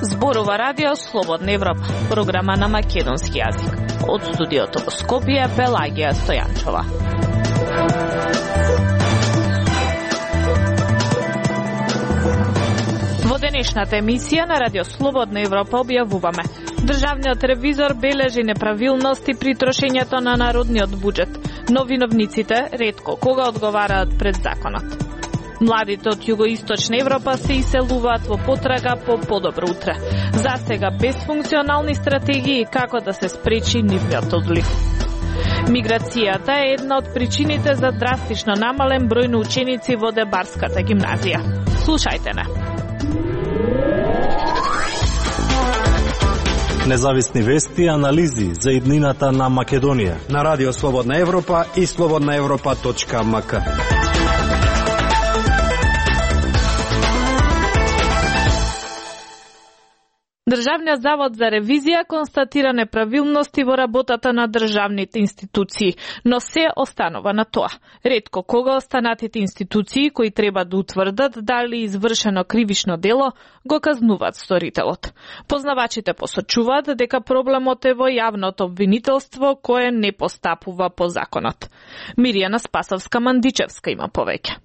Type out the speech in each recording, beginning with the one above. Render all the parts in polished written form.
Зборува Радио Слободна Европа, програма на македонски јазик. Од студиото во Скопје, Пелагија Стојанчова. Во денешната емисија на Радио Слободна Европа објавуваме: Државниот ревизор бележи неправилности при трошењето на народниот буџет, но виновниците ретко кога одговараат пред законот. Младите од Југоисточна Европа се иселуваат во потрага по подобро утре. Засега без функционални стратегии како да се спречи нивниот одлив. Миграцијата е една од причините за драстично намален број на ученици во Дебарската гимназија. Слушајте не. Независни вести и анализи за иднината на Македонија на Радио Слободна Европа и slobodnaevropa.mk. Државниот завод за ревизија констатира неправилности во работата на државните институции, но се останува на тоа. Ретко кога останатите институции кои треба да утврдат дали извршено кривично дело го казнуваат сторителот. Познавачите посочуваат дека проблемот е во јавното обвинителство кое не постапува по законот. Миријана Спасовска-Мандичевска има повеќе.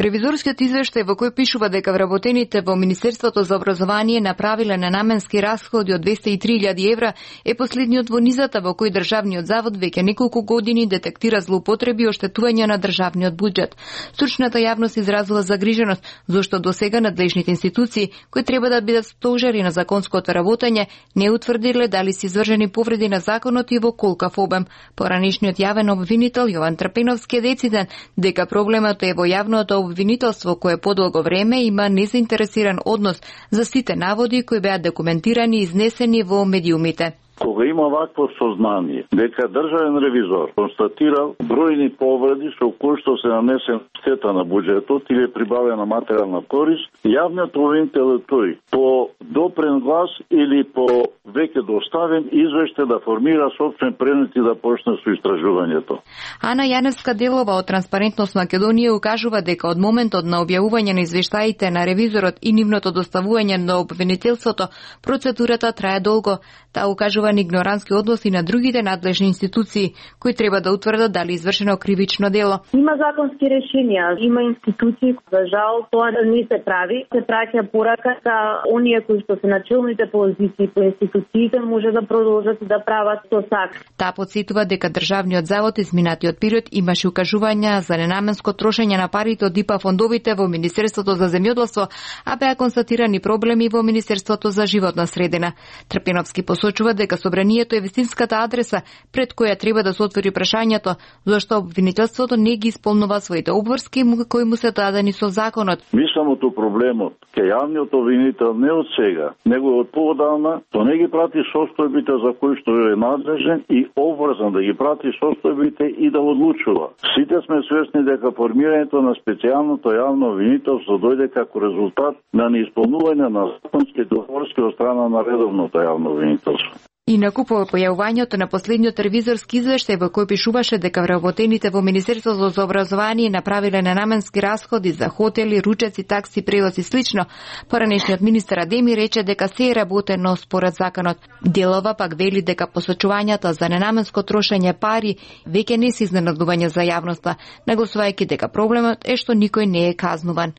Ревизорскиот извештај во кој пишува дека вработените во Министерството за образование направиле ненаменски расходи од 203.000 евра е последниот во низата во кој државниот завод веќе неколку години детектира злоупотреби и оштетување на државниот буџет. Стручната јавност изразува загриженост зашто досега надлежните институции кои треба да бидат стожери на законското работење не утврдиле дали се извршени повреди на законот и во колкав обем. Поранешниот јавен обвинител Јован Трпеновски е дециден дека проблемот е во јавното обвинителство кое подолго време има незаинтересиран однос за сите наводи кои беа документирани и изнесени во медиумите. Кога има вакво сознание дека државен ревизор констатирал бројни повреди со кои што се нанесен штета на буџетот или прибавена материјална корист, јавниот обвинител е тој по допрен глас или по веќе доставен извештај да формира сопствен предмет и да почне со истражувањето. Ана Јаневска Делова од Транспарентност Македонија укажува дека од моментот на објавување на извештаите на ревизорот и нивното доставување на обвинителството, процедурата трае долго. Таа укажува на игнорантски односи на другите надлежни институции кои треба да утврдат дали извршено кривично дело. Има законски решенија, има институции, за жал тоа не се прави. Се праќа порака за оние кои што се на челните позиции по институциите може да продолжат да прават тоа сак. Таа потсетува дека државниот завод изминатиот период имаше укажувања за ненаменско трошење на парите од ИПА фондовите во Министерството за земјоделство, а беа констатирани проблеми во Министерството за животна средина. Трпеновски посочува дека собранието е вистинската адреса пред која треба да се отвори прашањето зашто обвинителството не ги исполнува своите обврски кои му се дадени со законот. Мислимото проблемот ке јавниот обвинител не од сега, него од поодавна, то не ги прати состојбите за кои што е надлежен и обврзан да ги прати состојбите и да одлучува. Сите сме свесни дека формирањето на специјалното јавно обвинителство дојде како резултат на неисполнување на законски договорски од страна на редовното јавно обвинителство. Инаку по појавувањето на последниот ревизорски извештај во кој пишуваше дека вработените во Министерството за образование направиле ненаменски расходи за хотели, ручеци, такси, превоз и слично, поранешниот министер Адеми рече дека се е работено според законот. Делова пак вели дека посочувањата за ненаменско трошење пари веќе не се изненадување за јавноста, нагласувајќи дека проблемот е што никој не е казнуван.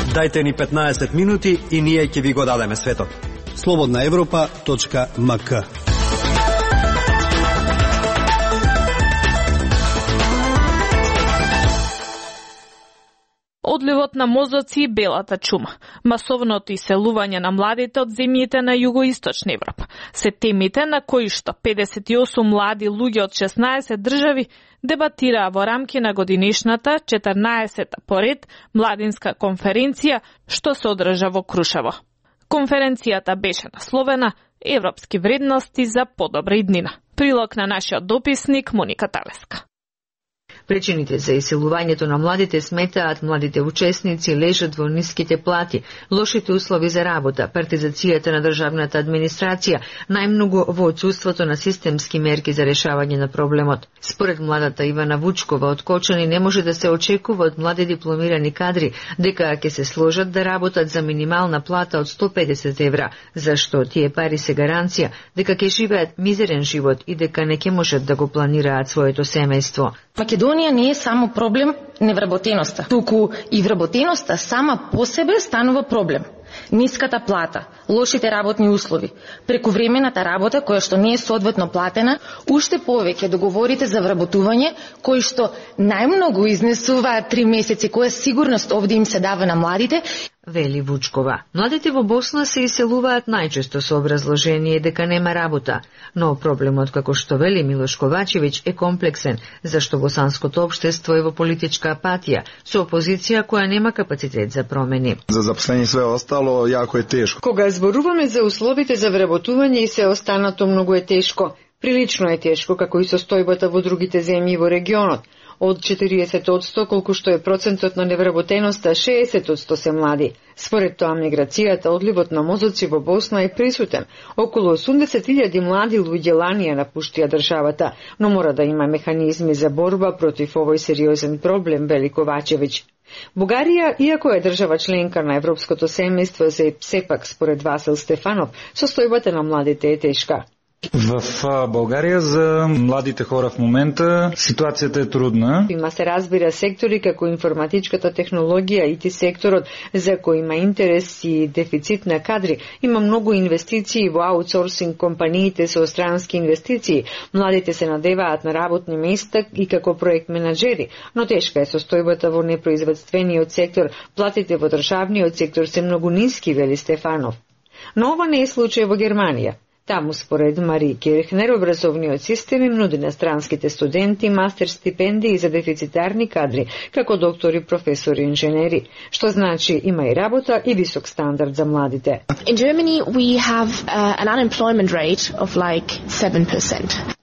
Дајте ни 15 минути и ние ќе ви го дадеме светот. slobodnaevropa.mk. Одливот на мозоци и белата чума, масовното иселување на младите од земјите на Југоисточна Европа се темите на кои што 58 млади луѓе од 16 држави дебатираа во рамки на годинишната 14-та поред младинска конференција што се одржа во Крушево. Конференцијата беше насловена Европски вредности за подобра иднина. Прилог на нашиот дописник Моника Талеска. Причините за иселувањето на младите сметаат младите учесници лежат во ниските плати, лошите услови за работа, партизацијата на државната администрација, најмногу во отсуството на системски мерки за решавање на проблемот. Според младата Ивана Вучкова од Кочани не може да се очекува од млади дипломирани кадри дека ќе се сложат да работат за минимална плата од 150 евра, зашто тие пари се гаранција дека ќе живеат мизерен живот и дека не ќе можат да го планираат своето семејство. Македонија не е само проблем невработеноста, туку и вработеноста сама по себе станува проблем. Ниската плата, лошите работни услови, прекувремената работа која што не е соодветно платена, уште повеќе договорите за вработување кои што најмногу изнесуваат 3 месеци, која сигурност овде им се дава на младите, вели Вучкова. Младите во Босна се иселуваат најчесто со образложение дека нема работа, но проблемот, како што вели Милош Ковачевиќ, е комплексен, зашто босанското општество е во политичка апатија, со опозиција која нема капацитет за промени. За запослени све остало јако е тешко. Кога зборуваме за условите за вработување и се останато, многу е тешко. Прилично е тешко, како и состојбата во другите земји во регионот. Од 40%, колку што е процентот на невработеноста, 60% се млади. Според тоа, миграцијата, одливот на мозоци во Босна е присутен. Околу 80.000 млади луѓе ланија напуштија државата, но мора да има механизми за борба против овој сериозен проблем, вели Ковачевиќ. Бугарија, иако е држава членка на Европското семејство, сепак, според Васил Стефанов, состојбата на младите е тешка. В Българија за младите хора в момента ситуацијата е трудна. Има се разбира сектори како информатичката технологија, IT секторот, за кој има интерес и дефицит на кадри. Има многу инвестиции во аутсорсинг компаниите со странски инвестиции. Младите се надеваат на работни места и како проект менаџери, но тешка е состојбата во непроизводствениот сектор. Платите во државниот сектор се многу ниски, вели Стефанов. Но ова не е случај во Германија. Таму, според Мари Кирхнер, образовниот систем им нуди на странските студенти мастер стипендии за дефицитарни кадри, како доктори, професори, инженери, што значи има и работа и висок стандард за младите. In Germany we have an unemployment rate of like 7%.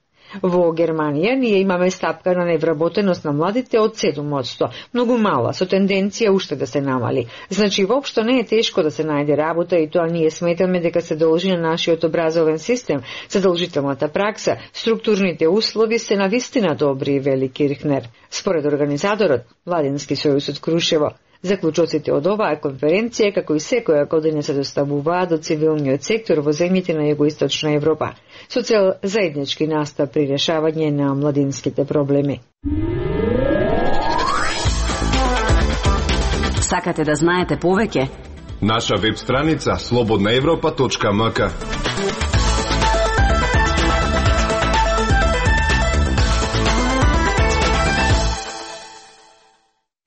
Во Германија ние имаме стапка на невработеност на младите од 7%, многу мала, со тенденција уште да се намали. Значи, воопшто не е тешко да се најде работа и тоа ние сметаме дека се должи на нашиот образовен систем, задолжителната пракса, структурните услови се навистина добри, вели Кирхнер. Според организаторот, Владински сојуз од Крушево, заклучоците од оваа конференција, како и секоја година, се доставуваат до цивилниот сектор во земјите на Југоисточна Европа, со цел заеднички настап при решавање на младинските проблеми. Сакате да знаете повеќе? Наша веб страница slobodnaevropa.mk.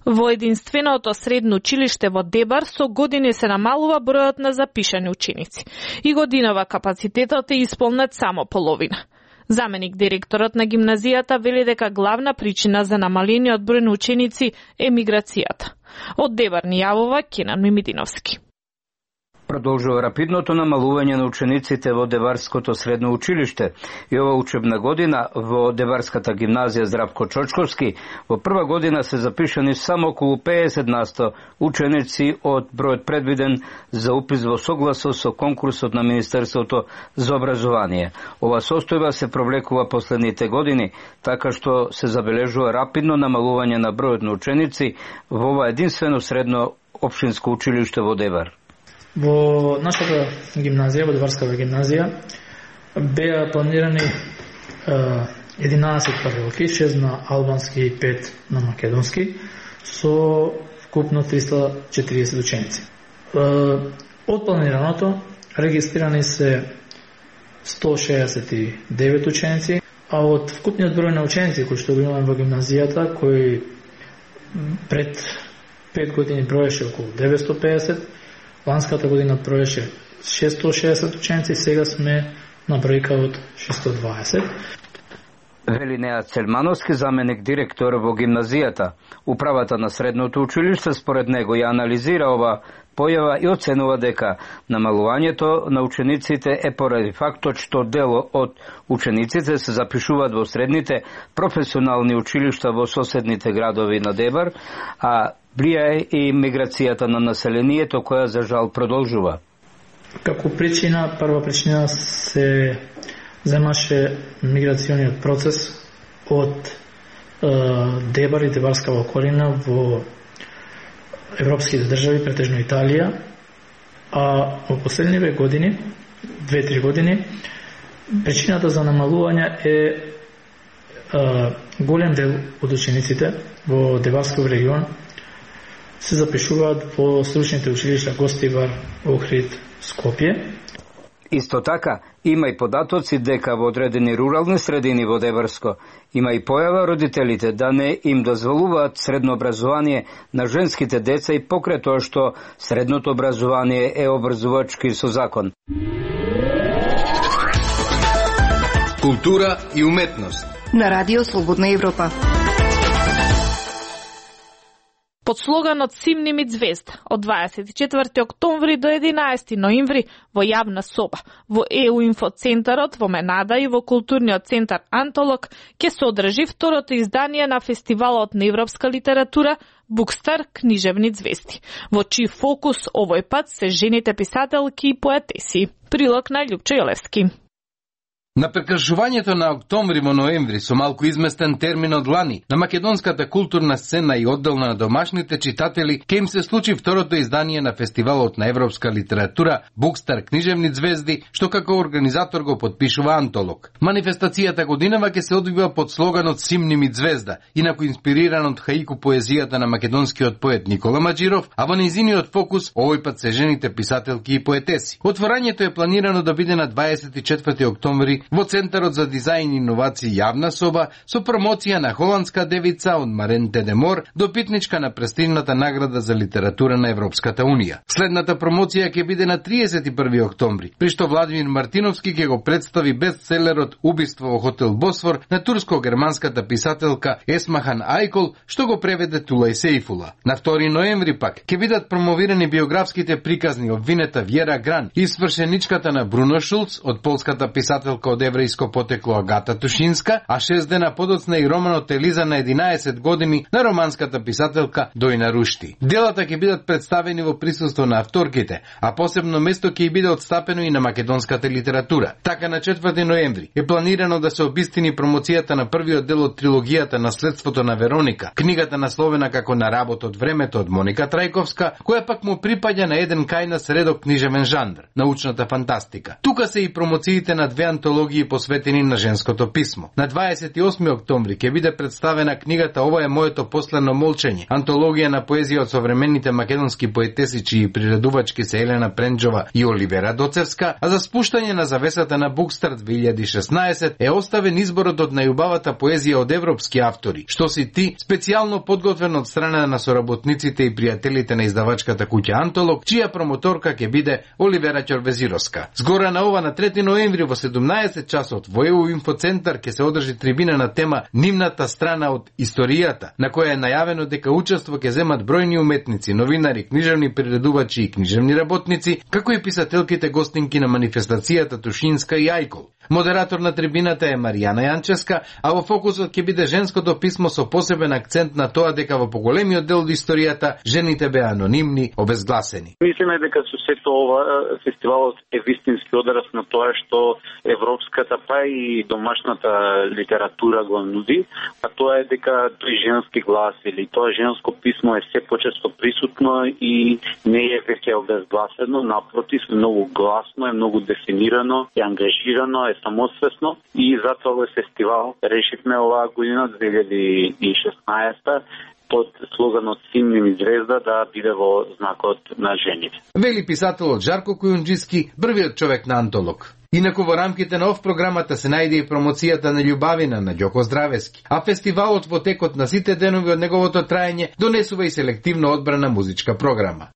Во единственото средно училиште во Дебар со години се намалува бројот на запишани ученици. И годинава капацитетот е исполнет само половина. Заменик директорот на гимназијата вели дека главна причина за намалениот број на ученици е миграцијата. Од Дебар ни јавува Кенан Мимидиновски. Продолжува рапидното намалување на учениците во Деварското средно училиште и ова учебна година во Деварската гимназија Здравко Чочковски во прва година се запишани само околу 50% ученици од бројот предвиден за упис во согласо со конкурсот на Министерството за образование. Ова состојба се провлекува последните години, така што се забележува рапидно намалување на бројот на ученици во ова единствено средно општинско училиште во Девар. Во нашата гимназија, во Деварската гимназија, беа планирани 11 паралелки, 6 на албански и 5 на македонски, со вкупно 340 ученици. Од планираното регистрирани се 169 ученици, а од вкупниот број на ученици кои што го имаме во гимназијата, кои пред 5 години броеше околу 950, ланската година броеше 660 ученици, сега сме на бројка од 620. Вели Неа Цельмановски, заменик директор во гимназијата. Управата на средното училиште според него ја анализира ова појава и оценува дека намалувањето на учениците е поради фактот што дел од учениците се запишуваат во средните професионални училишта во соседните градови на Дебар, а влијае и миграцијата на населението која за жал продолжува. Како причина, прва причина се земаше миграциониот процес од Дебар и Дебарска околина во европските држави, претежно Италија, а во последниве години, 2-3 години, причината за намалување е голем дел од учениците во Дебарскиот регион се запишуваат во стручните училишта Гостивар, Охрид, Скопје. Исто така, има и податоци дека во одредени рурални средини во Дебарско има и појава родителите да не им дозволуваат средно образование на женските деца и покрај тоа што средното образование е обврзувачки со закон. Култура и уметност на Радио Слободна Европа. Под слоганот Симни ми звезда од 24 октомври до 11 ноември во јавна соба во ЕУ инфоцентарот во Менада и во културниот центар Антолог ќе се одржи второто издание на фестивалот на европска литература Букстар книжевни звезди, во чиј фокус овој пат се жените писателки и поетеси. Прилог на Љупчо Јолевски. На прекршувањето на октомври во ноември со малку изместен термин од лани, на македонската културна сцена и одделна на домашните читатели ќе им се случи второто издание на фестивалот на европска литература Букстар книжевни звезди, што како организатор го потпишува Антолог. Манифестацијата годинава ќе се одвива под слоганот Симни ми звезда, инаку инспириран од хаику поезијата на македонскиот поет Никола Маџиров, а во нејзиниот фокус овој пат се жените писателки и поетеси. Отворањето е планирано да биде на 24 октомври во Центарот за дизајн и иновации јавна соба со промоција на холандска девица од Марен Тедемор, допитничка на престижната награда за литература на Европската унија. Следната промоција ќе биде на 31 октомври, при што Владимир Мартиновски ќе го представи бестселерот Убиство во хотел Босфор на турско-германската писателка Есмахан Айкол, што го преведе Тулај Сейфула. На 2 ноември пак ќе бидат промовирани биографските приказни обвинета Вјера Гран и свршеничката на Бруно Шулц од полската писателка од еврејско потекло Агата Тушинска, а 6 дена подоцна и романот Елиза на 11 години на романската писателка Дојна Рушти. Делата ќе бидат представени во присуство на авторките, а посебно место ќе биде отстапено и на македонската литература. Така на 4 ноември е планирано да се обистини промоцијата на првиот дел од трилогијата Наследството на Вероника, книгата насловена како На работ од времето од Моника Трајковска, која пак му припаѓа на еден кајнас редок книжевен жанр, научната фантастика. Тука се и промоциите на две антологии посветени на женското писмо. На 28 октомври ќе биде представена книгата Ова е моето последно молчење, антологија на поезија од современите македонски поетеси чии приредувачки се Елена Пренџова и Оливера Доцевска, а за спуштање на завесата на Букстар 2016 е оставен изборот од најубавата поезија од европски автори, што си ти специјално подготвен од страна на соработниците и пријателите на издавачката куќа Антолог, чија промоторка ќе биде Оливера Ќорвезировска. Згора на ова на 3 ноември во 17 часот во ЕУ инфоцентар ќе се одржи трибина на тема Нивната страна од историјата, на која е најавено дека учество ќе земат бројни уметници, новинари, книжевни приредувачи и книжевни работници, како и писателките гостинки на манифестацијата Тушинска и Ајкол. Модератор на трибината е Маријана Јанческа, а во фокусот ќе биде женското писмо со посебен акцент на тоа дека во поголемиот дел од историјата жените беа анонимни, обезгласени. Мислиме дека со сето ова фестивалот е вистински одраз на тоа што европската па и домашната литература го нуди, а тоа е дека тој женски глас или тоа женско писмо е се почесто присутно и не е веќе обезгласено, напротив, многу гласно, е многу дефинирано, е ангажирано, е самосвесно и затоа овој фестивал решивме оваа година 2016 под слоганот Симни ми звезда да биде во знакот на жените. Вели писателот Жарко Кујунџиски, првиот човек на Антолог. Инаку во рамките на ов програмата се најде и промоцијата на љубавина на Ѓоко Здравески, а фестивалот во текот на сите денови од неговото траење донесува и селективно одбрана музичка програма.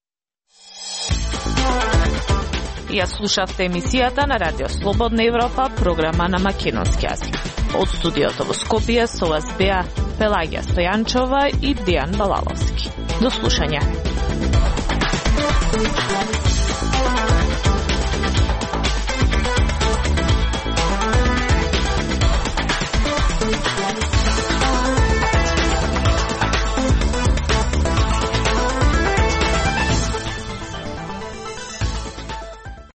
Ја слушавте емисијата на Радио Слободна Европа, програма на македонски јазик. Од студиото во Скопје со вас беа Пелагија Стојанчова и Дијан Балаловски. До слушање.